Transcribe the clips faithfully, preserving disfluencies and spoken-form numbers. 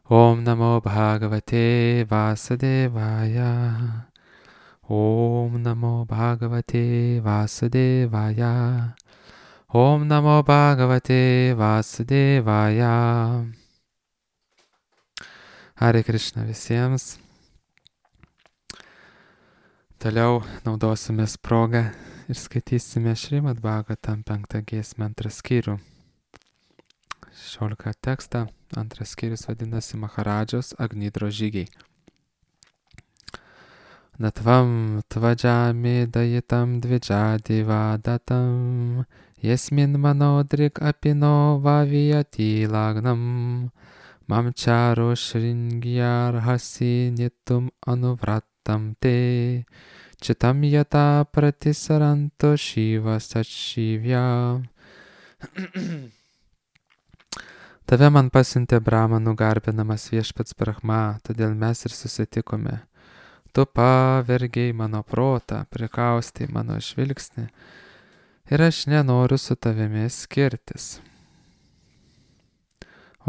Om Namo Bhagavate Vasudevaya. Om Namo Bhagavate Vasudevaya. Om Namo Bhagavate Vasudevaya. Hare Krishna visiems. Toliau naudosimės progą ir skaitysime Šrimad Bhagavatam penktą giesmę antrą skyrių. šešioliktą tekstą. Antras skyrius vadinasi Maharadžos Agnidro žygiai. Natvam tvajami dayitam dvidžadiva datam Yesmin manodrik apino vaviyati lagnam Mamcharo shringyarhasi nitum anuvratam te Chitam yata pratisaranto shiva satshivya. Tave man pasiuntė Brahmanų garbinamas viešpats Brahma, todėl mes ir susitikome. Tu pavergiai mano protą, prikaustai mano žvilgsnį ir aš nenoriu su tavimi skirtis.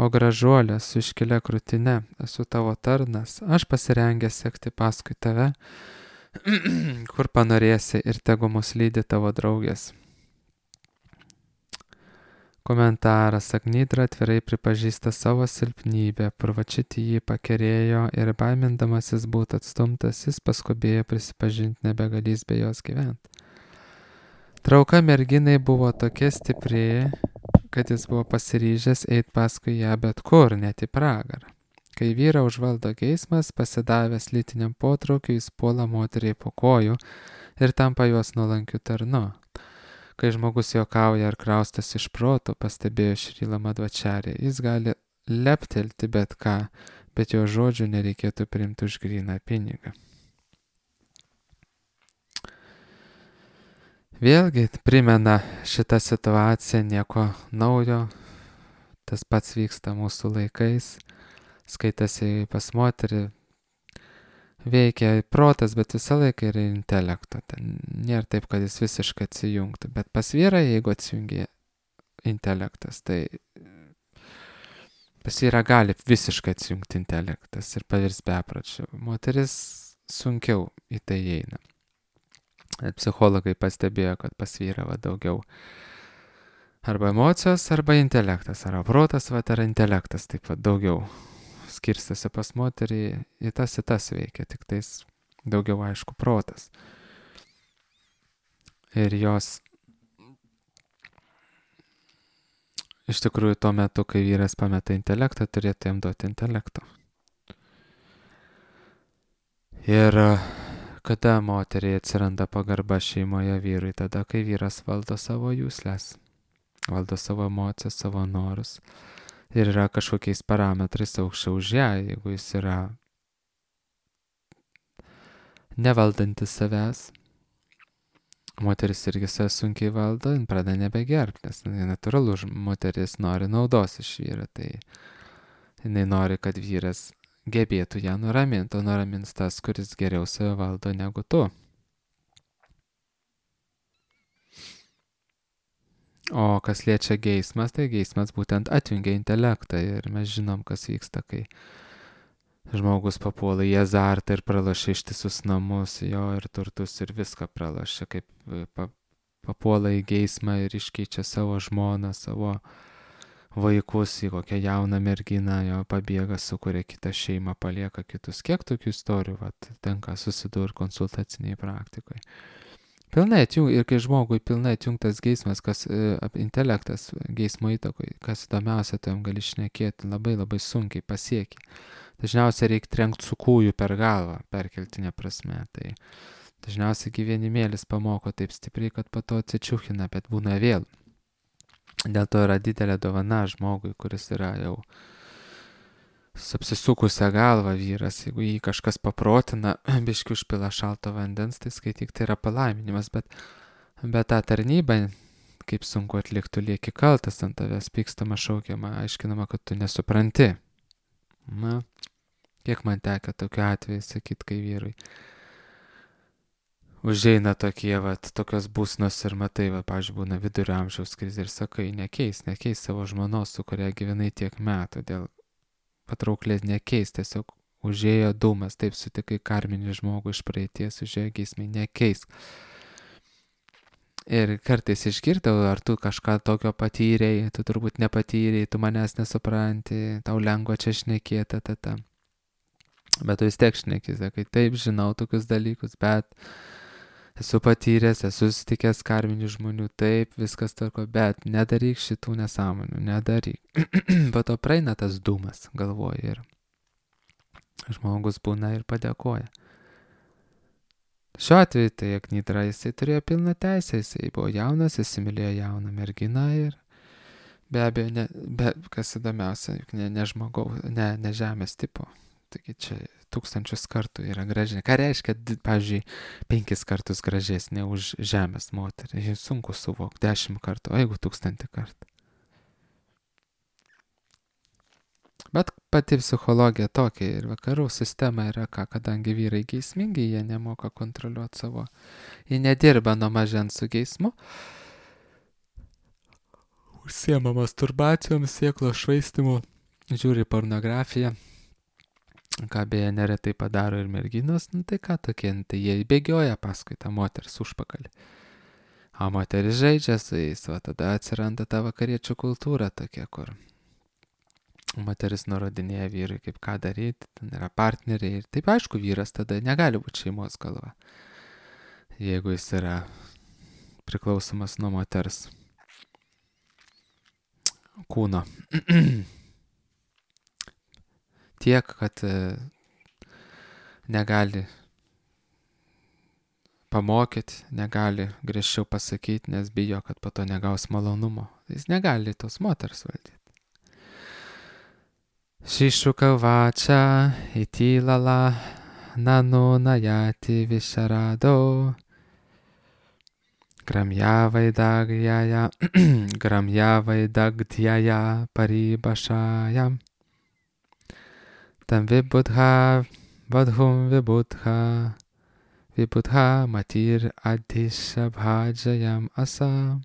O gražuolė su iškilia krūtine, esu tavo tarnas, aš pasirengęs sekti paskui tave, kur panorėsi ir tegu mus lydi tavo draugės. Komentaras. Agnidra atvirai pripažįsta savo silpnybę, Purvačiti jį pakerėjo ir baimindamasis būti atstumtas, jis paskubėjo prisipažinti nebegalys be jos gyventi. Trauka merginai buvo tokia stipri, kad jis buvo pasiryžęs eiti paskui ją bet kur, net į pragarą. Kai vyrą užvaldo geismas, pasidavęs lytiniam potraukiu, jis puola moteriai po kojų ir tampa jos nuolankiu tarnu. Kai žmogus juokauja ar kraustas iš proto, pastebėjo Šrila Madhvacharya, jis gali leptelti bet ką, bet jo žodžių nereikėtų priimti už gryną pinigą. Vėlgi primena šitą situaciją nieko naujo, tas pats vyksta mūsų laikais, skaitasi pas moterį, veikia protas, bet visą laiką yra intelekto. Ten nėra taip, kad jis visiškai atsijungtų. Bet pas vyrą, jeigu atsijungia intelektas, tai pas vyrą gali visiškai atsijungti intelektas ir pavirs bepročiu. Moteris sunkiau į tai eina. Psichologai pastebėjo, kad pas vyrą va daugiau arba emocijos, arba intelektas, arba protas, va ar intelektas, taip pat daugiau skirstasi pas moterį, į tas į tas veikia, tik tais daugiau aišku protas. Ir jos iš tikrųjų tuo metu, kai vyras pameta intelektą, turėtų jam duoti intelekto. Ir kada moteriai atsiranda pagarba šeimoje vyrui, tada, kai vyras valdo savo jūslės, valdo savo emocijas, savo norus. Ir yra kažkokiais parametrais aukščiau už ją, jeigu jis yra nevaldantis savęs. Moteris irgi save sunkiai valdo, jin pradeda nebegerbti, nes natūralu, moteris nori naudos iš vyro, tai jinai nori, kad vyras gebėtų ją nuraminti, o nuramins tas, kuris geriau save valdo negu tu. O kas liečia geismas, tai geismas būtent atjungia intelektą ir mes žinom, kas vyksta, kai žmogus papuola į azartą ir pralošia ištisus namus, jo ir turtus ir viską pralošia, kaip pa, papuola į geismą ir iškeičia savo žmoną, savo vaikus į kokią jauną merginą, jo pabėga, sukuria kitą šeimą, palieka kitus. Kiek tokių istorijų vat, tenka susidurti konsultaciniai praktikoje. Pilnai atjung, ir kai žmogui pilnai atjungtas geismas, kas e, intelektas geismo įtakoj, kas įdomiausia, tu jam gali šnekėti, labai labai sunkiai pasieki. Dažniausiai reikia trenkti su kūju per galvą, perkeltinė prasme. Tai dažniausiai gyvenimėlis pamoko taip stipriai, kad po to atsičiuchina, bet būna vėl. Dėl to yra didelė dovana žmogui, kuris yra jau apsisukusią galvą vyras, jeigu jį kažkas paprotina, biškiu užpila šalto vandens, tai skaityk, tai yra palaiminimas, bet, bet tą tarnybą, kaip sunku atlikti, lieki kaltas ant tavęs, pykstama, šaukiama, aiškinama, kad tu nesupranti. Na, kiek man teka tokiu atveju sakyti, kai vyrui užeina tokie, vat, tokios būsnos ir matai, va, pavyzdžiui, būna vidurio amžiaus krizė ir sakai, nekeis, nekeis savo žmonos, su kuria gyvenai tiek metų, dėl patrauklė nekeis, tiesiog užėjo dūmas, taip sutikai karminį žmogų iš praeities, užėjo geismai, nekeis. Ir kartais išgirdau, ar tu kažką tokio patyrei, tu turbūt nepatyrei, tu manęs nesupranti, tau lengva čia šnekėta, ta, ta. Bet tu vis tiek šneki, sakai, taip, žinau tokius dalykus, bet esu patyręs, esu susitikęs karminių žmonių, taip, viskas tvarko, bet nedaryk šitų nesąmonių, nedaryk. Po to praeina tas dūmas, galvoju, ir žmogus būna ir padėkoja. Šiuo atveju tai Agnidra, jisai turėjo pilną teisę, jisai buvo jaunas, įsimylėjo jauną merginą ir be abejo, ne, be, kas įdomiausia, juk ne, ne žmogaus, ne, ne žemės tipo. Taigi čia tūkstančius kartų yra gražesnė. Ką reiškia, pavyzdžiui, penkis kartus gražesnė už žemės moterį? Sunku suvokti, dešimt kartų, o jeigu tūkstantį kartų. Bet pati psichologija tokia ir vakarų sistema yra ką, kadangi vyrai geismingi, jie nemoka kontroliuoti savo, jie nedirba nuo mažens su geismu, užsiema masturbacijom, sėklo švaistimu, žiūri pornografiją, ką beje neretai padaro ir merginos, nu tai ką tokie, nu, tai jie bėgioja paskui tą moters užpakalį. O moteris žaidžia su jais, o tada atsiranda ta vakariečių kultūra tokia, kur moteris nurodinėja vyrui, kaip ką daryti, ten yra partneriai ir taip aišku, vyras tada negali būti šeimos galva, jeigu jis yra priklausomas nuo moters kūno. Tiek, kad negali pamokyti, negali griežčiau pasakyti, nes bijo, kad po to negaus malonumo. Jis negali tos moters valdyti. Shishukavacha itilala nano nayati visharado gramyavaidaghyaya gramyavaidagdhyaya paribashayam tam vibudha vadhum vibudha vibudha matir adhishabhajayam asa.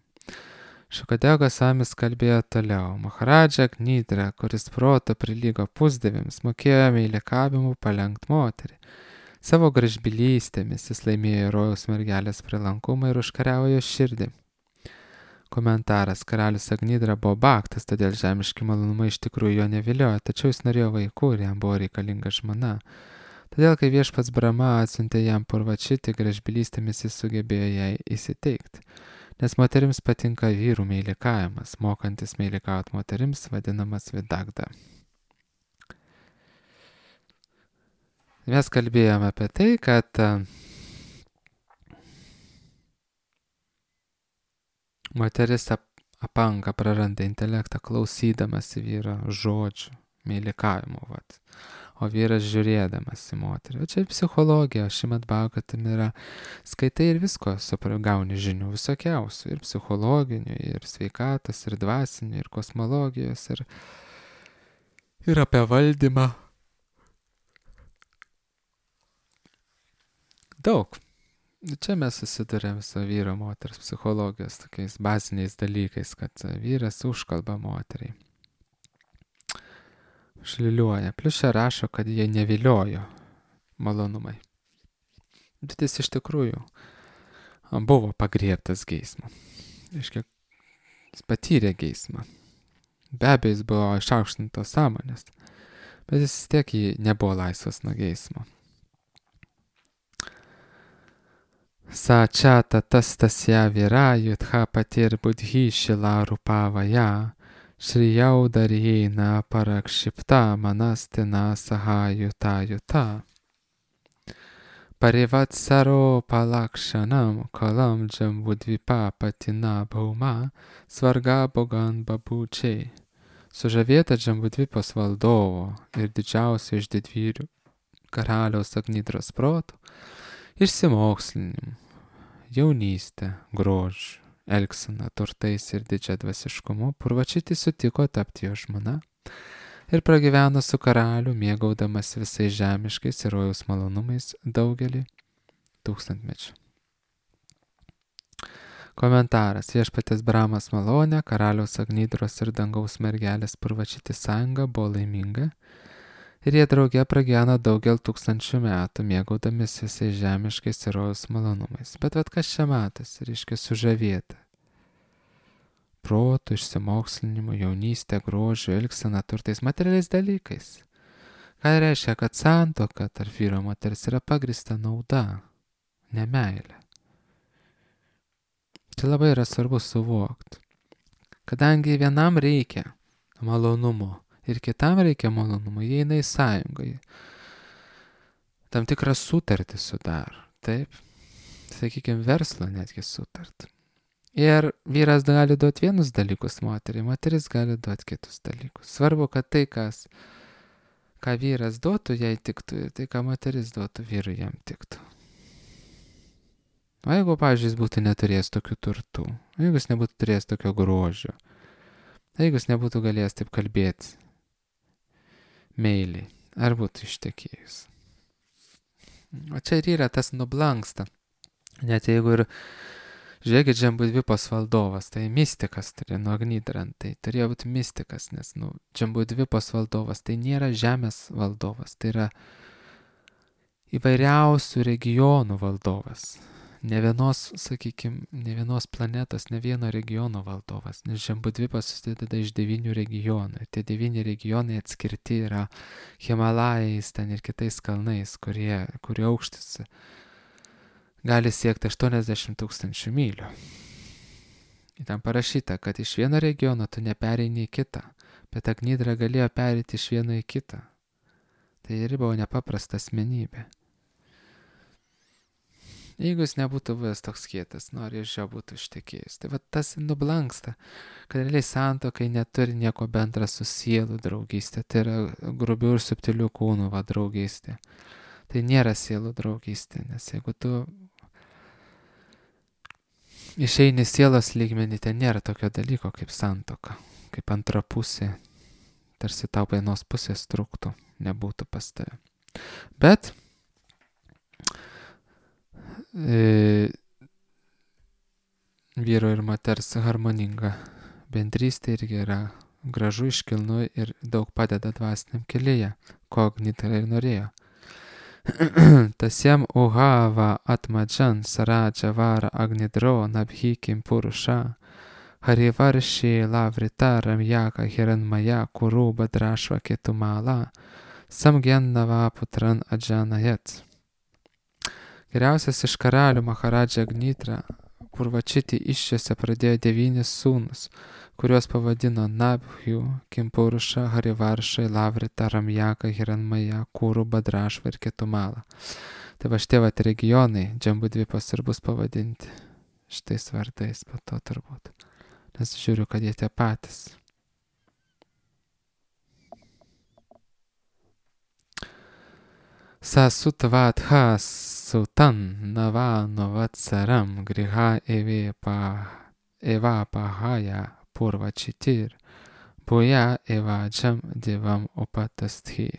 Šukadego Samis kalbėjo toliau. Maharadža Agnidra, kuris proto prilygo pusdieviams, mokėjo meilikavimu palenkt moterį. Savo gražbylystėmis jis laimėjo rojaus mergelės prilankumą ir užkariavo jo širdį. Komentaras. Karalius Agnidra buvo baktas, todėl žemiški malonumai iš tikrųjų jo neviliojo, tačiau jis norėjo vaikų ir jam buvo reikalinga žmona. Todėl, kai viešpats Brahma atsiuntė jam Purvačitį, gražbylystėmis jis sugebėjo jai įsiteikti. Nes moterims patinka vyrų meilikavimas, mokantis meilikauti moterims vadinamas vidagda. Mes kalbėjome apie tai, kad moteris apanka, praranda intelektą klausydamas vyro žodžių, meilikavimo, vat. O vyras žiūrėdamas į moterį. O čia psichologija, Šrimad Bhagavatam yra, skaitai ir visko, gauni žinių visokiausių, ir psichologinių, ir sveikatos, ir dvasinių, ir kosmologijos, ir, ir apie valdymą. Daug. Čia mes susidurėm su vyro moters psichologijos tokiais baziniais dalykais, kad vyras užkalba moteriai. Šliliuoja. Plius čia rašo, kad jie neviliojo malonumai. Bet jis iš tikrųjų buvo pagriebtas geismo. Iškia, jis patyrė geismą. Be abejo, jis buvo išaukštintos sąmonės, bet jis vis tiek nebuvo laisvas nuo geismo. Sa čata tastasya vira yudha patir budhi shila rupavaya Šrijau darjena parakšipta manastina sahayuta yuta. Parivatsaro palakšanam kalam džambudvipa patina bauma svarga bogan babučiai. Sužavėta Džambudvipos valdovo ir didžiausio iš didvyrių karaliaus Agnidros protų, išsimokslinimu, jaunystė, grožiu, elgsena, turtais ir didžia dvasiškumu, Purvačitį sutiko tapti jo žmona ir pragyveno su karaliu, mėgaudamas visais žemiškais ir rojaus malonumais daugelį tūkstantmečių. Komentaras. Viešpaties Brahmas malonė, karaliaus Agnidros ir dangaus mergelės Purvačitį sąjunga buvo laiminga, Ir jie drauge pragyveno daugel tūkstančių metų, mėgaudamis visais žemiškais ir rojaus malonumais. Bet vat kas čia matas, reiškia sužavėta. Protų, išsimokslinimu, jaunystė, grožiu, elgsena, turtais, materialiais dalykais. Ką reiškia, kad santuoka tarp vyro moters yra pagrįsta nauda, ne meilė. Čia labai yra svarbu suvokti. Kadangi vienam reikia malonumo ir kitam reikia malonumo, jie eina į sąjungą. Tam tikrą sutartį sudaro, taip? Sakykime, verslo netgi sutartį. Ir vyras gali duoti vienus dalykus moteriai, moteris gali duoti kitus dalykus. Svarbu, kad tai, kas, ką vyras duotų, jai tiktų, ir tai, ką moteris duotų, vyrui jam tiktų. O jeigu, pavyzdžiui, jis būtų neturėjęs tokių turtų, jeigu jis nebūtų turėjęs tokio grožio, jeigu jis nebūtų galėjęs taip kalbėti meiliai, ar būtų ištekėjus. O čia ir yra tas nublanksta. Net jeigu ir, žiūrėkit, Džambudvipos valdovas, tai mistikas, tai nuo Agnidrant, tai turėjo būti mistikas, nes, nu, Džambudvipos valdovas, tai nėra žemės valdovas, tai yra įvairiausių regionų valdovas. Ne vienos, sakykime, ne vienos planetos, ne vieno regiono valdovas, nes Džambudvipas susideda iš devynių regionų. Ir tie devyni regionai atskirti yra Himalajais, ten ir kitais kalnais, kurie, kurio aukštis gali siekti aštuoniasdešimt tūkstančių mylių. Ir ten parašyta, kad iš vieno regiono tu nepereini į kitą, bet Agnidra galėjo pereiti iš vieno į kitą. Tai ir buvo nepaprasta asmenybė. Jeigu jis nebūtų buvęs toks kietas, nori iš jo būtų ištekėjęs. Tai va tas nublanksta, kad realiai santuokai neturi nieko bendra su sielų draugystė. Tai yra grubių ir subtilių kūnų va draugystė. Tai nėra sielų draugystė, nes jeigu tu išeini sielos lygmenį, ten nėra tokio dalyko kaip santuoka, kaip antra pusė, tarsi tau vienos pusės trūktų, nebūtų pas tave. Bet E, vyro ir moters harmoninga bendrystė irgi yra gražu, iškilnu ir daug padeda dvasiniam kelyje, ko Agnidra ir norėjo. Tasiem uhava atmadžan saradža vara Agnidro nabhikim purusha harivarši lavrita ramjaka hiranmaya kuru badrašva ketumala samgyannava putran adžanayat. Geriausias iš karalių Maharadža Agnidra Purvačiti iššiose pradėjo devynis sūnus, kuriuos pavadino Nabhju, Kimpurusha, Harivaršai, Lavrita, Ramjaka, Hiranmaja, Kūrų, Badrašva ir Ketumala. Tai va šitie vat regionai, Džambudvipas ir bus pavadinti šitais vardais, po to turbūt. Nes žiūriu, kad jie tie patys. Sasutvatha sutan navano vatsaram griha eva pahaya purvačitir buja evadžam divam upatasthi.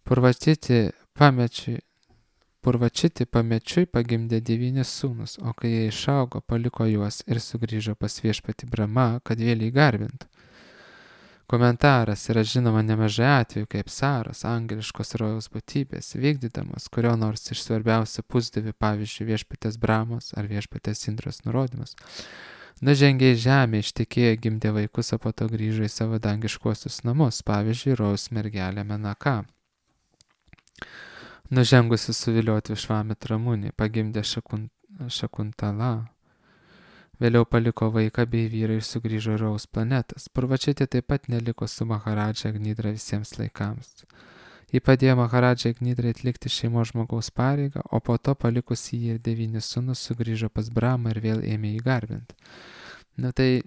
Purvačiti pamečiui, Purvačiti pamečiui pagimdė devynis sūnus, o kai jie išaugo, paliko juos ir sugrįžo pas viešpatį Brahma, kad vėl įgarbintų. Komentaras yra žinoma nemažai atvejų, kaip Saros, angeliškos rojaus būtybės, vykdydamos kurio nors iš svarbiausių pusdievių, pavyzdžiui, viešpatės Brahmos ar viešpatės Indros nurodymus, nužengė į žemę, ištekėjo, gimdė vaikus, o po to grįžo į savo dangiškuosius namus, pavyzdžiui, rojaus mergelė Menaka. Nužengusi suvilioti Višvamit Ramunį, pagimdė šakun, Šakuntala. Vėliau paliko vaiką bei vyrą ir sugrįžo į rojaus planetas. Purvačiti taip pat neliko su Maharadža Agnidra visiems laikams. Ji padėjo Maharadža Agnidrai atlikti šeimos žmogaus pareigą, o po to palikusi jį ir devynis sūnus sugrįžo pas Brahmą ir vėl ėmė jį garbinti. Na tai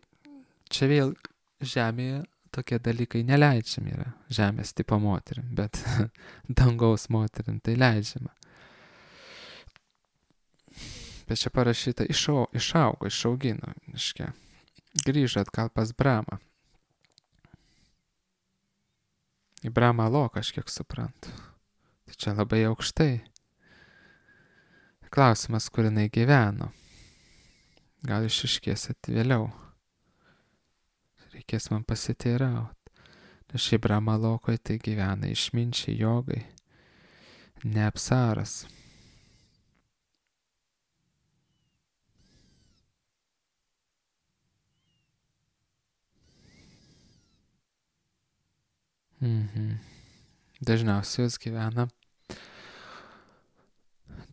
čia vėl žemėje tokie dalykai neleidžiami yra. Žemės tipo moterim, bet dangaus moterim tai leidžiama. Bet čia parašyta, išau, išaugo, išaugino, iškia, grįžo atgal pas Brahmą. Į Brahmą lo kažkiek suprantu. Tai čia labai aukštai. Klausimas, kur jinai gyveno. Gal išiškėsit vėliau. Reikės man pasiteirauti. Šiaip Brahmalokoj tai gyvena išminčiai jogai, ne apsaras. Mhm. Dažniausiai jos gyvena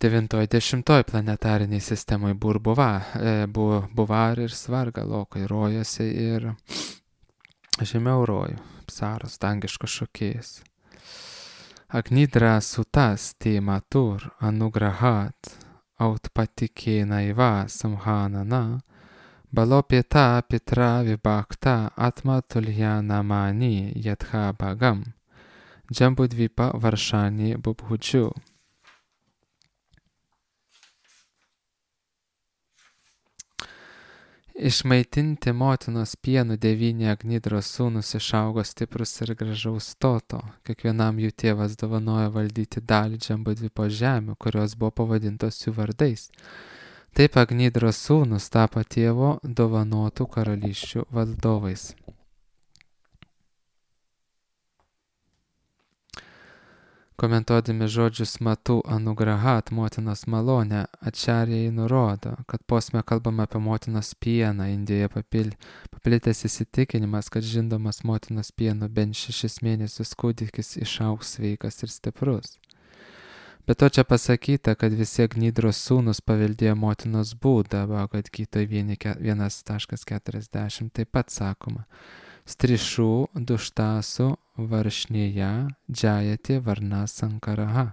devintoj dešimtoj planetariniai sistemai burbuva, e, bu, buvar ir svarga lokai rojasi ir žemiau rojų, apsaras, dangiškas šokėjas. Agnidra sutas matur anugrahat autpatikena iva samhanana balopeta pitra vibhakta atma tulyana mani yatha bhagam Jambudvipa varšani bubhudžiu. Išmaitinti motinos pienų devyni Agnidros sūnus išaugo stiprus ir gražaus stoto. Kiekvienam jų tėvas dovanojo valdyti dalį Džambudvipo žemių, kurios buvo pavadintos jų vardais. Taip Agnidros sūnus tapo tėvo dovanotų karalysčių valdovais. Komentuodami žodžius Matu Anugrahat, motinos malonę, Ačarjai nurodo, kad posme kalbama apie motinos pieną. Indijoje papil, paplitęs įsitikinimas, kad žindomas motinos pienu bent šešis mėnesius kūdikis išaugs sveikas ir stiprus. Be to čia pasakyta, kad visi Agnidros sūnus paveldėjo motinos būdą, Bhagavad Gitoj vienas keturiasdešimt taip pat sakoma. Strišų duštasų varšnėje džajati varna sankaraha.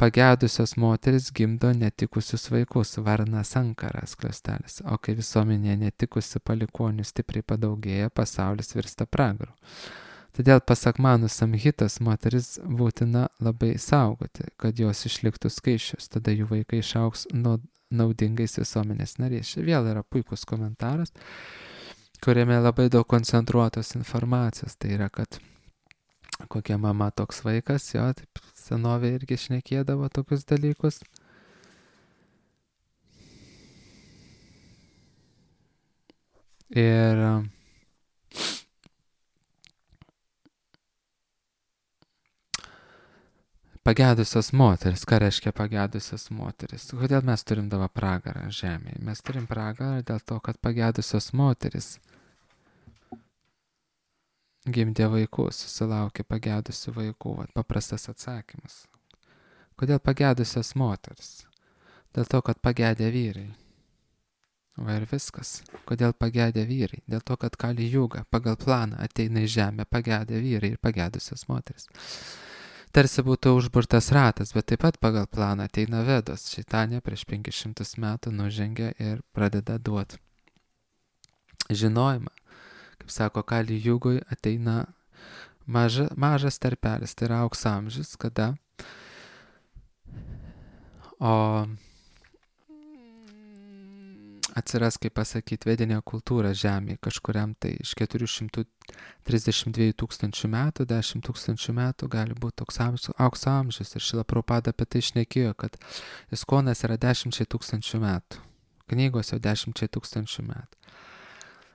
Pagedusios moteris gimdo netikusius vaikus, varna sankaras skliaustelis, o kai visuomenėje netikusių palikonių stipriai padaugėja, pasaulis virsta pragaru. Todėl pasak Manų Samhitos moteris būtina labai saugoti, kad jos išliktų skaičius, tada jų vaikai išaugs naudingais visuomenės nariais. Čia vėl yra puikus komentaras, kuriame labai daug koncentruotos informacijos. Tai yra, kad kokia mama toks vaikas, jo, taip senovė irgi šnekėdavo tokius dalykus. Ir pagedusios moteris, ką reiškia pagedusios moteris? Kodėl mes turim dabar pragarą žemėje? Mes turim pragarą dėl to, kad pagedusios moteris gimdė vaikus, susilaukė pagedusių vaikų. Vat paprastas atsakymas. Kodėl pagedusios moteris? Dėl to, kad pagedė vyrai. Va ir viskas. Kodėl pagedė vyrai? Dėl to, kad Kali Juga pagal planą ateina į žemę pagedė vyrai ir pagedusios moteris. Tarsi būtų užburtas ratas, bet taip pat pagal planą ateina Vedos. Šeitanė prieš penkis šimtus metų nužengia ir pradeda duoti žinojimą. Kaip sako, Kali Jugoj ateina maža, mažas tarpelis, tai yra aukso amžius, kada o atsiras, kaip pasakyti, vedinė kultūra žemėje kažkuriam tai iš keturių šimtų trisdešimt dviejų tūkstančių metų, dešimt tūkstančių metų gali būti toks aukso amžius. Ir Šrila Prabhupada apie tai šnekėjo, kad Iskonas yra dešimčiai tūkstančių metų, knygos jau dešimčiai tūkstančių metų.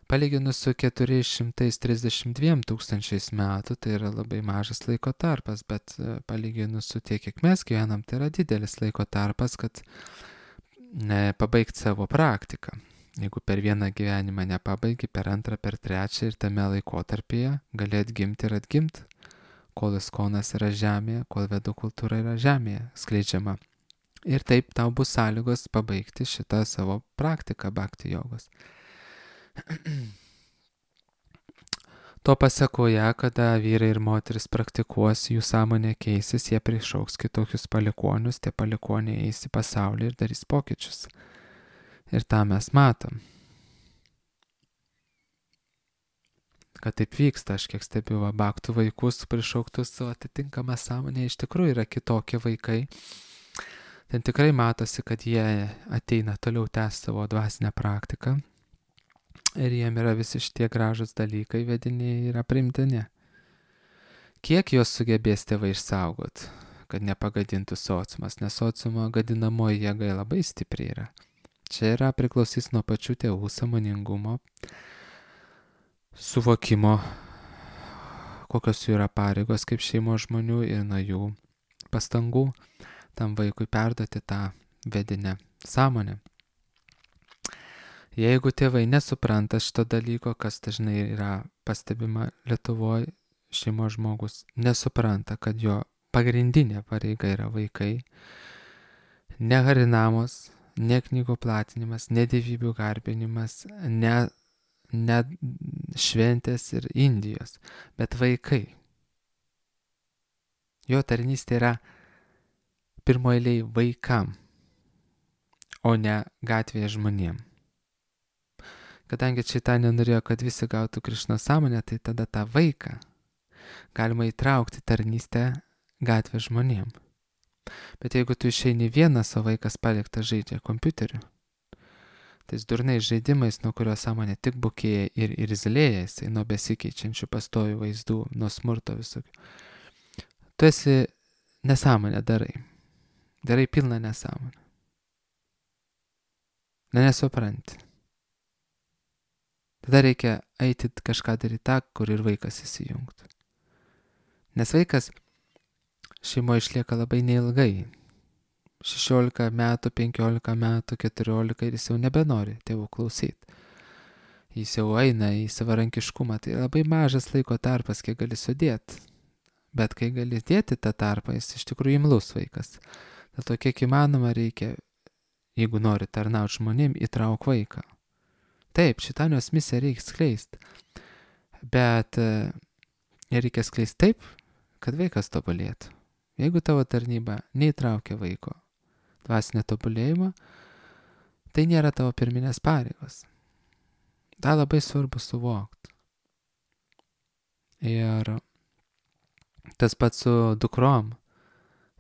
Palyginus su keturiais šimtais trisdešimt dviem tūkstančiais metų, tai yra labai mažas laiko tarpas, bet palyginus su tiek, kiek mes gyvenam, tai yra didelis laiko tarpas, kad ne, pabaigti savo praktiką. Jeigu per vieną gyvenimą nepabaigi, per antrą, per trečią ir tame laikotarpyje gali atgimti ir atgimti, kol Iskonas yra žemėje, kol Vedų kultūra yra žemėje skleidžiama. Ir taip tau bus sąlygos pabaigti šitą savo praktiką bhakti jogos. To pasekoje, kada vyrai ir moteris praktikuos, jų sąmonė keisis, jie prišauks kitokius palikonius, tie palikoniai eis į pasaulį ir darys pokyčius. Ir tą mes matom. Kad taip vyksta, aš kiek stebiu va, bhaktų vaikus prišauktus su atitinkama sąmonė, iš tikrųjų yra kitokie vaikai. Ten tikrai matosi, kad jie ateina toliau tęsti savo dvasinę praktiką. Ir jiem yra visi šitie gražus dalykai vediniai yra primtini. Kiek jos sugebės tėvai išsaugot, kad nepagadintų sociumas, nes sociumo gadinamoji jėga labai stipri yra. Čia yra priklausys nuo pačių tėvų sąmoningumo, suvokimo, kokios jų yra pareigos kaip šeimos žmonių ir nuo jų pastangų tam vaikui perduoti tą vedinę sąmonę. Jeigu tėvai nesupranta šito dalyko, kas dažnai yra pastebima Lietuvoje, šeimos žmogus nesupranta, kad jo pagrindinė pareiga yra vaikai, ne harinamos, ne knygų platinimas, ne dievybių garbinimas, ne, ne šventės ir Indijos, bet vaikai. Jo tarnystė yra pirmoeiliai vaikam, o ne gatvėje žmonėm. Kadangi Čaitanija norėjo, kad visi gautų Krišnos sąmonę, tai tada tą vaiką galima įtraukti tarnystę gatvės žmonėm. Bet jeigu tu išeini vienas, o vaikas paliktas žaidžia kompiuteriu, tais durnais žaidimais, nuo kurio sąmonė tik bukėja ir irzlėja, jisai nuo besikeičiančių pastovių vaizdų, nuo smurto visokių, tu esi nesąmonę darai. Darai pilną nesąmonę. Ne, nesupranti. Tada reikia eiti kažką daryti tą, kur ir vaikas įsijungtų. Nes vaikas šeimoje išlieka labai neilgai. šešiolika metų, penkiolika metų, keturiolika ir jis jau nebenori tėvų klausyti. Jis jau eina į savarankiškumą. Tai labai mažas laiko tarpas, kiek gali sudėti. Bet kai gali dėti tą tarpą, jis iš tikrųjų imlus vaikas. Dėl to kiek įmanoma reikia, jeigu nori tarnauti žmonėm, įtrauk vaiką. Taip, Čaitanijos misiją reikia skleisti. Bet reikia skleisti taip, kad vaikas tobulėtų. Jeigu tavo tarnyba neįtraukia vaiko dvasinio tobulėjimo, tai nėra tavo pirminės pareigos. Ta labai svarbu suvokti. Ir tas pats su dukrom.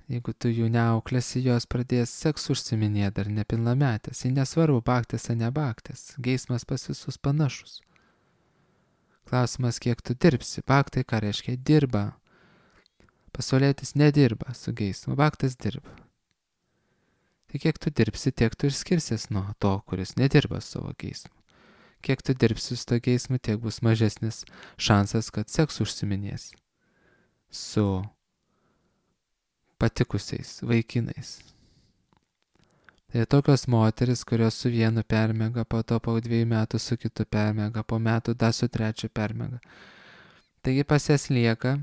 Jeigu tu jų neauklėsi, jos pradės seksu užsiminėti dar nepilnametės. Jei nesvarbu, baktės ar nebaktės. Geismas pas visus panašus. Klausimas, kiek tu dirbsi. Baktai, ką reiškia, dirba. Pasaulietis nedirba su geismu, baktas dirba. Tai kiek tu dirbsi, tiek tu ir skirsies nuo to, kuris nedirba savo geismu. Kiek tu dirbsi su to geismu, tiek bus mažesnis šansas, kad seksu užsiminės su patikusiais vaikinais. Tai tokios moteris, kurios su vienu permega, po to po dviejų metų su kitu permega, po metų dar su trečiu permega. Taigi pas jas lieka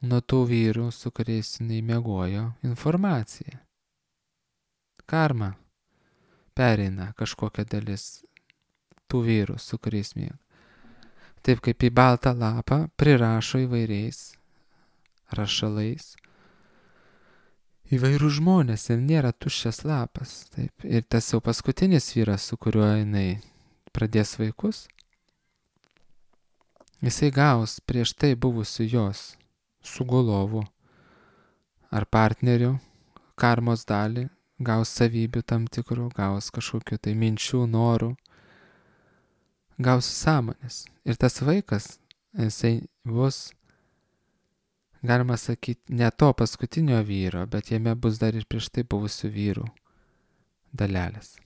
nuo tų vyrų, su kuriais jinai miegojo, informacija. Karma pereina kažkokia dalis tų vyrų, su kuriais miega. Taip kaip į baltą lapą prirašo įvairiais rašalais įvairių žmonės ir nėra tuščias lapas. Taip. Ir tas jau paskutinis vyras, su kuriuo jinai pradės vaikus, jisai gaus prieš tai buvusių jos sugulovų ar partnerių karmos dalį, gaus savybių tam tikrų, gaus kažkokių tai minčių, norų, gaus sąmonės. Ir tas vaikas, jisai bus, galima sakyti, ne to paskutinio vyro, bet jame bus dar ir prieš tai buvusių vyrų dalelės.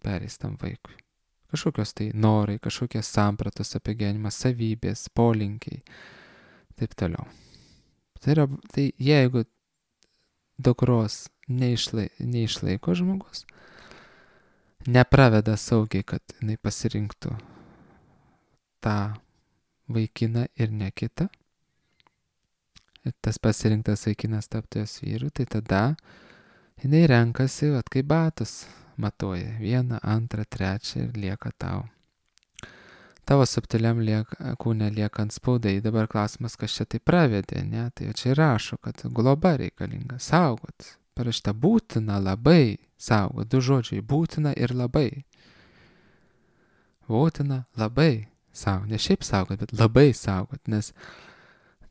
Pereis tam vaikui. Kažkokios tai norai, kažkokios sampratos apie gyvenimą, savybės, polinkiai, taip toliau. Tai, yra, tai jeigu dukros neišlai, neišlaiko žmogus, nepraveda saugiai, kad jinai pasirinktų tą vaikiną ir ne kitą, ir tas pasirinktas vaikinas taptų jos vyru, tai tada jinai renkasi, vat kaip batus matuoja, vieną, antrą, trečią ir lieka tau. Tavo subtiliam lieka, kūne lieka ant spaudai. Dabar klausimas, kas čia tai pravedė, ne? Tai čia rašo, kad globa reikalinga, saugot. Parašyta būtina labai saugot. Du žodžiai, būtina ir labai. Būtina labai saugot. Ne šiaip saugot, bet labai saugot, nes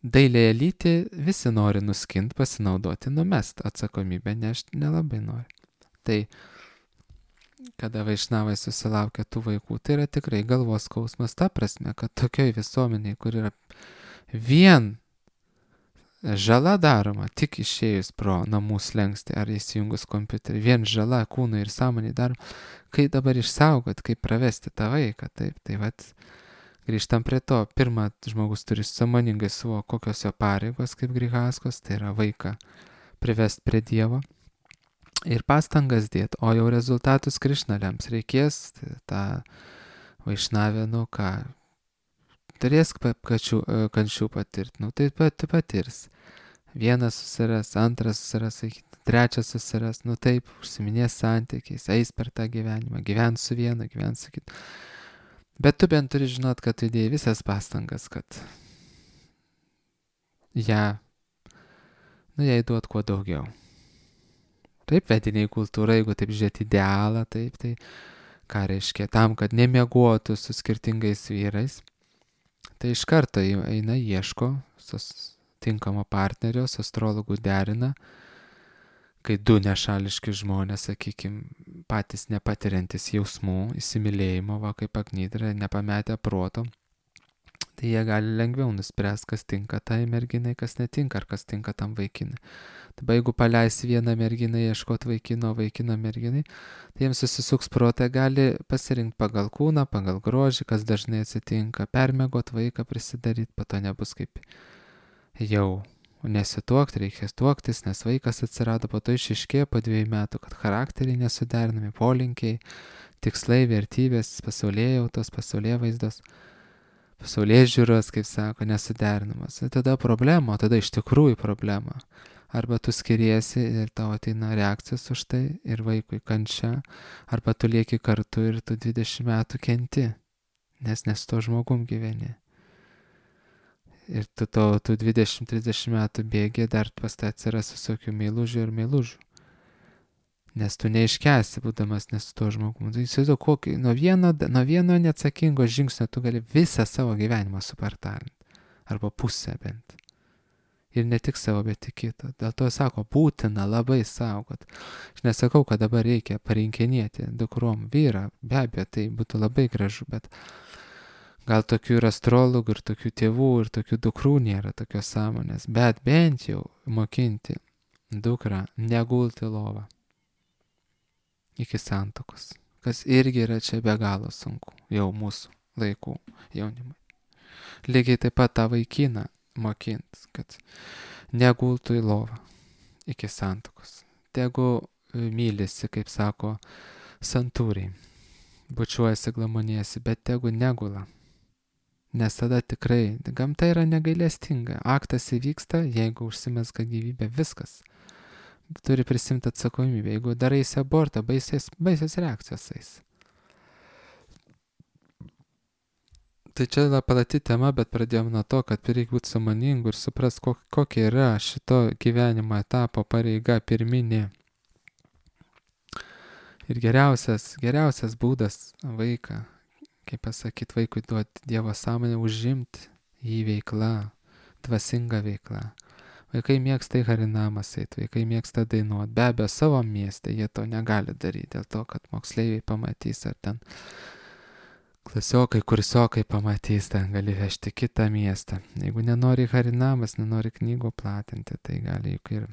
dailėje lyti visi nori nuskint, pasinaudoti, numest atsakomybę, nešti nelabai nori. Tai kada vaišnavai susilaukia tų vaikų, tai yra tikrai galvos skausmas ta prasme, kad tokioj visuomeniai, kur yra vien žala daroma, tik išėjus pro namų slengstį ar įsijungus kompiuterį, vien žala kūnui ir sąmonei daroma, kaip dabar išsaugot, kaip pravesti tą vaiką, taip, tai vat, Grįžtam prie to. Pirma, žmogus turi sąmoningai suvokti, kokios jo pareigos kaip grihaskos, tai yra vaiką privesti prie Dievo ir pastangas dėti, o jau rezultatus Krišna lems. Reikės tą vaišnavę, nu ką, turės kačių, kančių patirti, nu tai pat patirs. Vienas susiras, antras susiras, trečias susiras, nu taip, užsiminės santykiais, eis per tą gyvenimą, gyvens su vienu, gyvens su kitu. Bet tu bent turi žinot, kad tu įdėjai visas pastangas, kad ją, nu jai duot kuo daugiau. Taip, vediniai kultūra, jeigu taip žiūrėti idealą, taip, tai ką reiškia, tam, kad nemiegotų su skirtingais vyrais, tai iš karto eina ieško tinkamo partnerio, su astrologu derina, kai du nešališki žmonės, sakykime, patys nepatiriantis jausmų, įsimylėjimo, va kaip Agnidra, nepametę proto, tai jie gali lengviau nuspręsti, kas tinka tai merginai, kas netinka, ar kas tinka tam vaikinai. Dabar jeigu paleisi vieną merginą ieškoti vaikino, vaikino merginai, tai jiems susisuks protą, gali pasirinkti pagal kūną, pagal grožį, kas dažnai atsitinka, permiegot vaiką, prisidaryti, po to nebus kaip jau nesituokti, reikės tuoktis, nes vaikas atsirado, po to išiškėjo po dviejų metų, kad charakteriai nesuderinami, polinkiai, tikslai, vertybės, pasaulėjautos, pasaulėvaizdos, pasaulėžiūros, kaip sako, nesuderinamas. Ir tada problema, o tada iš tikrųjų problema. Arba tu skiriesi ir tau ateina reakcijos už tai ir vaikui kančia, arba tu lieki kartu ir tu dvidešimt metų kenti, nes nes to žmogum gyveni. Ir tu to, tu dvidešimt trisdešimt metų bėgi, dar pas tai atsiras visokių meilužių ir meilužių. Nes tu neiškesi, būdamas nes to žmogum. Tai įsivaizduoju, kokį, nuo vieno, nuo vieno neatsakingo žingsnio tu gali visą savo gyvenimą supartalinti. Arba pusę bent. Ir ne tik savo, bet ir kito. Dėl to sako, būtina labai saugot. Aš nesakau, kad dabar reikia parinkinėti dukrom vyrą. Be abejo, tai būtų labai gražu, bet gal tokių ir astrologų, ir tokių tėvų, ir tokių dukrų nėra tokios sąmonės. Bet bent jau mokinti dukrą negulti lovą iki santuokos. Kas irgi yra čia be galo sunku. Jau mūsų laikų jaunimui. Lygiai taip pat tą vaikiną mokint, kad negultų į lovą iki santuokos. Tegu mylisi, kaip sako santūriai, bučiuojasi, glamonėsi, bet tegu negula. Nes tada tikrai, gamta yra negailestinga. Aktas įvyksta, jeigu užsimezga gyvybė, viskas. Turi prisimti atsakomybę. Jeigu daraisi abortą, baisės, baisės reakcijos eis. Tai čia yra plati tema, bet pradėjom nuo to, kad reikia būti sąmoningu ir supras, kokia yra šito gyvenimo etapo pareiga pirminė. Ir geriausias, geriausias būdas vaiką, kaip pasakyti, vaikui duoti Dievo sąmonę, užimti jį veikla, dvasinga veikla. Vaikai mėgsta į harinamas eit, vaikai mėgsta dainuoti. Be abejo, savo mieste jie to negali daryti, dėl to, kad moksleiviai pamatys, ar ten klasiokai, kursiokai pamatys, ten gali vežti kitą miestą. Jeigu nenori harinamas, nenori knygų platinti, tai gali juk ir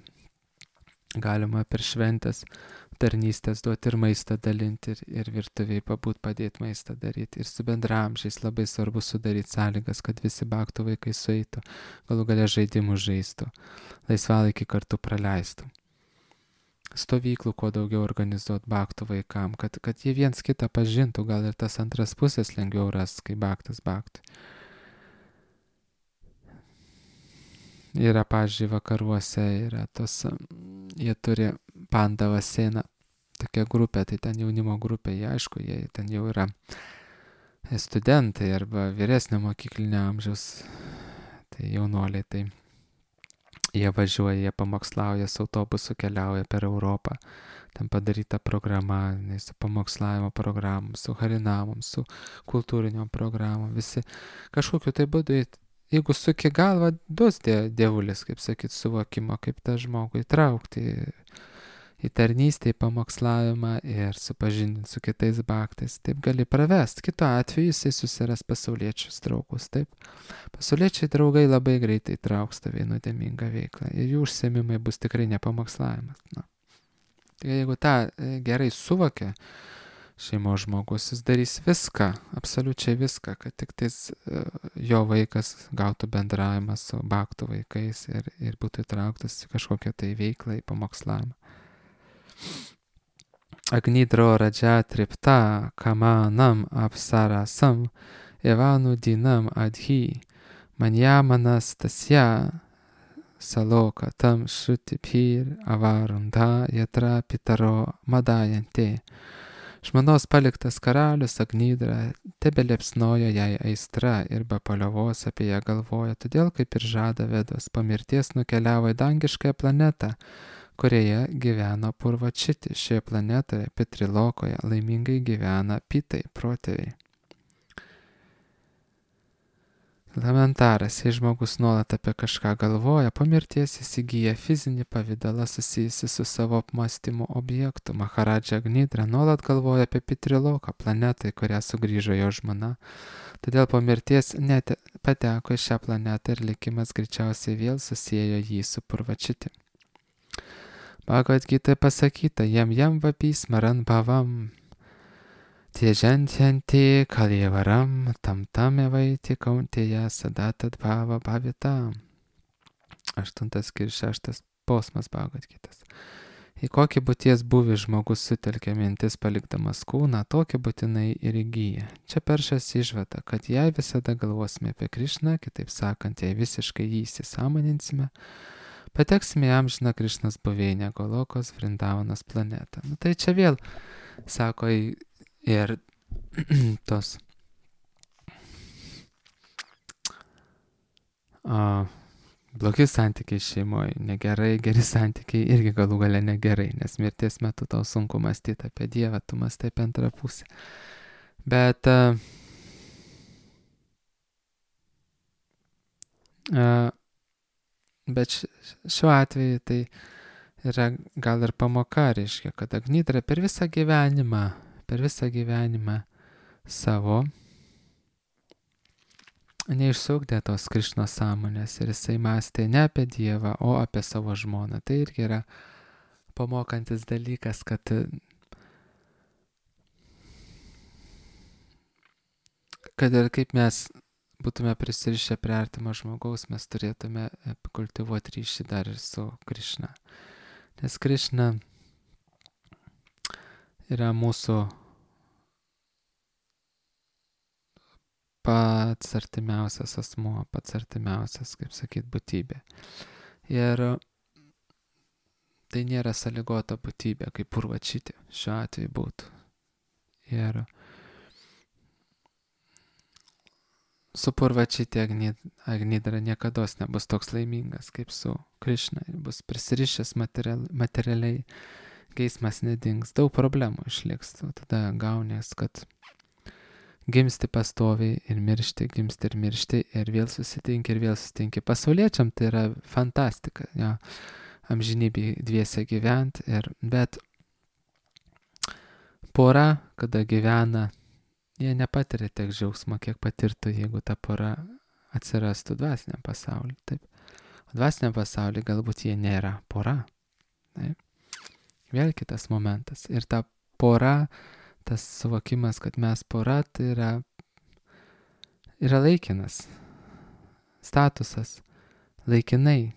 galima per šventės tarnystės duoti ir maistą dalinti, ir, ir virtuviai pabūt padėti maistą daryti. Ir su bendramžiais labai svarbu sudaryti sąlygas, kad visi baktų vaikai sueitų, galų galia žaidimų žaistų, laisvalaikį kartu praleistų. Stovyklų kuo daugiau organizuoti baktų vaikam, kad, kad jie viens kitą pažintų, gal ir tas antras pusės lengviau ras, kai baktas baktui. Yra, pavyzdžiui, vakaruose, yra tos, jie turi Pandava Sena, tokia grupė, tai ten jaunimo grupė, jie aišku, jie ten jau yra studentai arba vyresnio mokyklinio amžiaus, tai jaunuoliai, tai jie važiuoja, jie pamokslauja, su autobusu keliauja per Europą, ten padaryta programa, su pamokslavimo programom, su harinamom, su kultūriniom programom, visi kažkokiu tai būdu, jeigu suki galvą, duos dievulis, kaip sakyt, suvokimo, kaip tą žmogų įtraukti į tarnystę, į pamokslavimą ir supažindinti su kitais baktais. Taip gali pravesti. Kitu atveju jisai susiras pasauliečius draugus. Taip. Pasauliečiai draugai labai greitai trauks tave į nuodėmingą veiklą ir jų užsiėmimai bus tikrai ne pamokslavimas. Na. Tai jeigu tą gerai suvokia šeimos žmogus, jis darys viską, absoliučiai viską, kad tik tais uh, jo vaikas gautų bendravimą su baktų vaikais ir, ir būtų įtrauktas į kažkokią tai veiklą, į pamokslavimą. Agnidro radža tripta kamanam apsarasam evanu dinam adhi manyamanas tasya saloka tam šutipir avarunda yatra pitaro madajante. Žmonos paliktas karalius Agnidra tebeliepsnojo jai aistra ir be paliovos apie ją galvoja, todėl kaip ir žada Vedos, po mirties nukeliavo į dangiškąją planetą, kurioje gyveno Purvačiti. Šioje planetoje, Pitrilokoje, laimingai gyvena Pitai, protėviai. Elementaras, jei žmogus nuolat apie kažką galvoja, po mirties jis įgyja fizinį pavydalą susijusi su savo apmąstymo objektu. Maharadža Agnidra nuolat galvoja apie Pitriloką, planetą, į kurią sugrįžo jo žmona. Todėl po mirties net pateko į šią planetą ir likimas greičiausiai vėl susiejo jį su Purvačiti. Bhagavad Gita pasakyta, jam jam vapi smaran bhavam, tiežantyanti kalievaram, tam tam evaiti kauntėje sadatad bhava bhavita. Aštuntas ir šeštas posmas Bhagavad Gitas. Į kokį būties buvį žmogus sutelkia mintis palikdamas kūną, tokį būtinai ir įgyja. Čia peršas išvada, kad jei visada galvosime apie Krišną, kitaip sakant, jei visiškai jį įsisąmoninsime, pateksime į amžiną Krišnos buveinę Golokos Vrindavanos planetą. Nu, tai čia vėl, sako, ir tos o, blogi santykiai šeimoje, negerai, geri santykiai irgi galų gale negerai, nes mirties metu tau sunku mąstyti apie Dievą, tu mąstai apie antrą pusę. Bet uh, uh, Bet šiuo atveju tai yra gal ir pamoka, reiškia, kad Agnidra per visą gyvenimą, per visą gyvenimą savo neišsaugdė tos Krišnos sąmonės ir jisai mąstė ne apie Dievą, o apie savo žmoną. Tai irgi yra pamokantis dalykas, kad kad ir kaip mes būtume prisirišę prie artimo žmogaus, mes turėtume kultivuoti ryšį dar ir su Krišna. Nes Krišna yra mūsų pats artimiausias asmuo, pats artimiausias, kaip sakyt, būtybė. Ir tai nėra sąlygota būtybė, kaip Purvačiti šiuo atveju būtų. Ir su Purvačiti Agnidra niekados nebus toks laimingas kaip su Krišna. Bus prisirišęs material, materialiai, geismas nedings, daug problemų išliks. Tada gaunės, kad gimsti pastoviai ir miršti, gimsti ir miršti ir vėl susitinki ir vėl susitinki. Pasauliečiam tai yra fantastika, jo, amžinybėj dviese gyvent. Ir, bet pora, kada gyvena, jie nepatiria tiek džiaugsmo, kiek patirtų, jeigu ta pora atsirastų dvasiniam pasauliu. Taip. O dvasiniam pasauliu galbūt jie nėra pora. Taip. Vėl kitas momentas. Ir ta pora, tas suvokimas, kad mes pora, tai yra, yra laikinas statusas, laikinai e,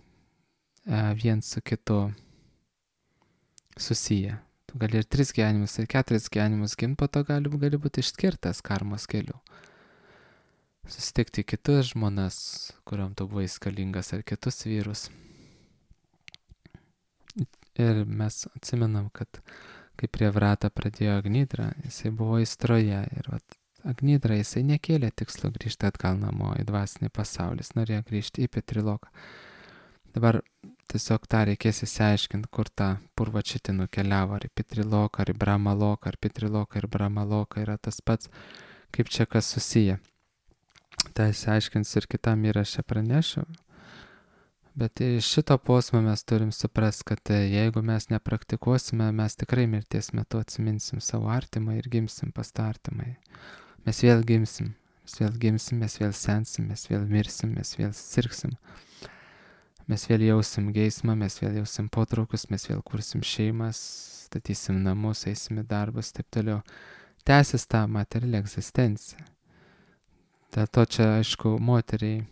viens su kitu susiję. Tu gali ir tris gyvenimus, ir keturis gyvenimus gimti, po to gali, gali būti išskirtas karmos keliu. Susitikti kitus žmonas, kuriam tu buvai skalingas, ar kitus vyrus. Ir mes atsimenam, kad kai prie Vrata pradėjo Agnidra, jisai buvo įstroje. Ir vat, Agnidra, jisai nekėlė tikslo grįžti atgal namo į dvasinį pasaulį, jis norėjo grįžti į Pitriloką. Dabar tiesiog tą reikės įsiaiškinti, kur tą Purvačiti nukeliavo, ar į Pitriloką, ar į Brahmaloką, ar Pitriloką ir Brahmaloką yra tas pats, kaip čia kas susiję. Tai įsiaiškins ir kitam įraše pranešiu. Bet iš šito posmo mes turim suprasti, kad jeigu mes nepraktikuosime, mes tikrai mirties metu atsiminsim savo artimą ir gimsim pas tą artimą. Mes vėl gimsim, mes vėl gimsim, mes vėl sensim, mes vėl mirsim, mes vėl sirgsim. Mes vėl jausim geismą, mes vėl jausim potraukius, mes vėl kursim šeimas, statysim namus, eisim į darbus, taip toliau. tęsis tą materialią egzistenciją. Dėl to čia, aišku, moteriai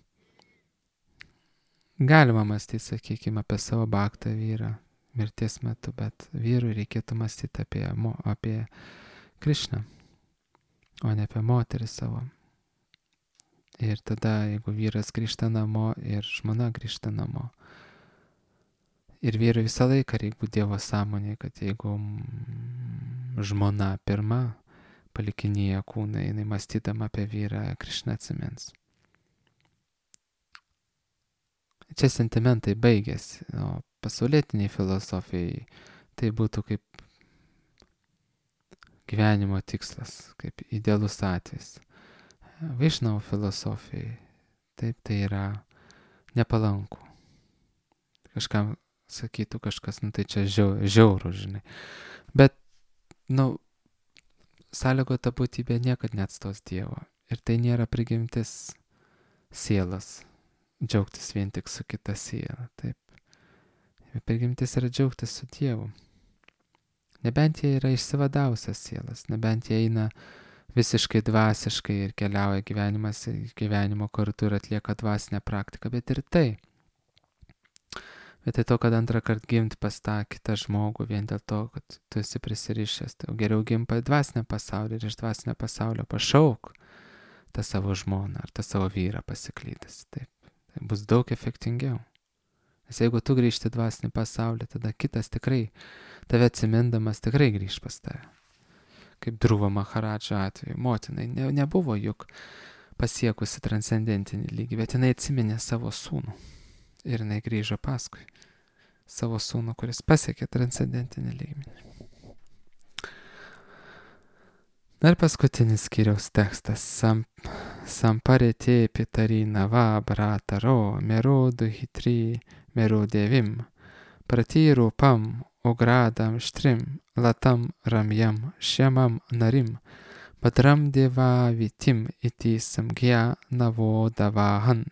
galima mąstyti, sakykime, apie savo baktą vyrą mirties metu, bet vyrui reikėtų mąstyti apie, apie Krišną, o ne apie moterį savo. Ir tada, jeigu vyras grįžta namo ir žmona grįžta namo, ir vyrui visą laiką reikia būti Dievo sąmonėje, kad jeigu žmona pirma palikinėja kūną, jinai mąstydama apie vyrą, Krišną atsimins. Čia sentimentai baigėsi, o pasaulietiniai filosofijai tai būtų kaip gyvenimo tikslas, kaip idealus atvejis. Vaišnavo filosofijai, taip, tai yra nepalanku. Kažkam sakytų kažkas, nu tai čia žiau, žiauru, žinai. Bet, nu, sąlygota būtybė niekad neatstos Dievo. Ir tai nėra prigimtis sielas, džiaugtis vien tik su kita siela, taip. Prigimtis yra džiaugtis su Dievu. Nebent jie yra išsivadavusios sielas, nebent jie eina visiškai dvasiškai ir keliauja gyvenimas, gyvenimo kartu ir atlieka dvasinę praktiką, bet ir tai. Bet tai to, kad antrą kartą gimti pas tą kitą žmogų vien dėl to, kad tu esi prisirišęs, tai geriau gimti dvasinę pasaulį ir iš dvasinio pasaulio pašauk tą savo žmoną ar tą savo vyrą pasiklydęs. Taip, tai bus daug efektingiau. Nes jeigu tu grįžti dvasinį pasaulį, tada kitas tikrai, tave atsimindamas tikrai grįž pas tave. Kaip Dhruva Maharadžo atveju, motinai ne, nebuvo juk pasiekusi transcendentinį lygį, bet jinai atsiminė savo sūnų. Ir jinai grįžo paskui savo sūnų, kuris pasiekė transcendentinį lygmenį. Ir paskutinis skyriaus tekstas. Sam, Samparete pitarina va brataro merodu hitri merodevim pratirupam ogradam štrim latam ramjam šemam narim badram deva vitim iti samgya navodavahan.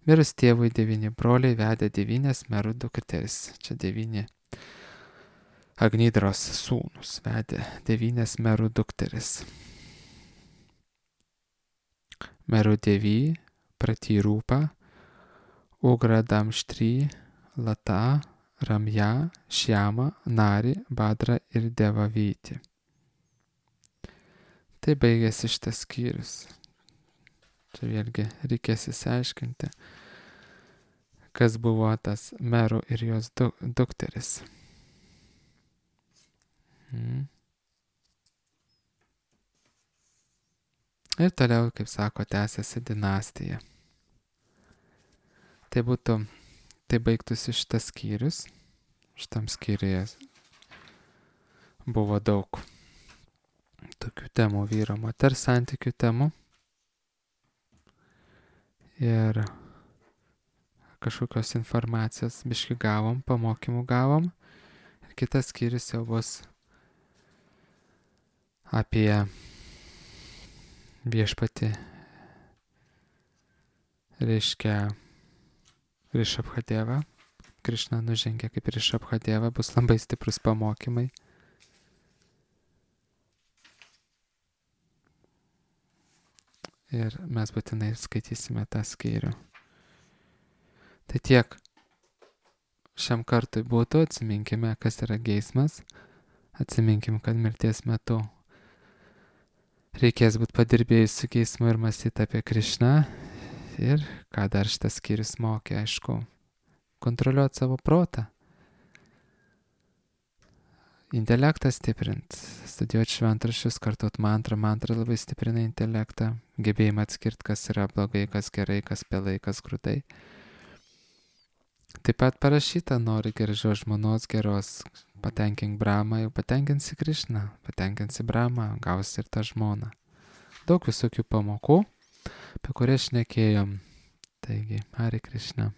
Mirus tėvui devyni broliai vedė devynias merų dukteris. Čia devyni Agnidros sūnus vedė devynias merų dukteris. Merų devy, Pratirūpa, Ugradam štry, Lata, Ramja, Šiama, Nari, Badra ir Devavyti. Tai baigėsi šitas skyrius. Čia vėlgi reikės įsiaiškinti, kas buvo tas merų ir jos du, dukteris. Hmm. Ir toliau, kaip sako, tęsiasi dinastija. Tai būtų, tai baigtųsi šitas skyrius. Šitam skyriuje buvo daug tokių temų, vyro moters santykių temų. Ir kažkokios informacijos biški gavom, pamokymų gavom. Ir kitas skyrius jau bus apie viešpatį, reiškia Rishabhadevą. Krišna nužengė kaip Rishabhadeva, bus labai stiprus pamokymai. Ir mes būtinai skaitysime tą skyrių. Tai tiek šiam kartui būtų, atsiminkime, kas yra geismas, atsiminkim, kad mirties metu reikės būti padirbėjus su geismu ir mąstyti apie Krišną. Ir ką dar šitas skyrius mokė, aišku, kontroliuoti savo protą. Intelektą stiprint, studijuoti šventraščius, kartuot mantrą. Mantra labai stiprina intelektą, gebėjimą atskirti, kas yra blogai, kas gerai, kas pelai, kas grūdai. Taip pat parašyta, nori gražios žmonos, geros, patenkink Brahmą, jau patenkinsi Krišną, patenkinsi Brahmą, gausi ir tą žmoną. Daug visokių pamokų, apie kurias šnekėjom. Taigi, Hare Krishna.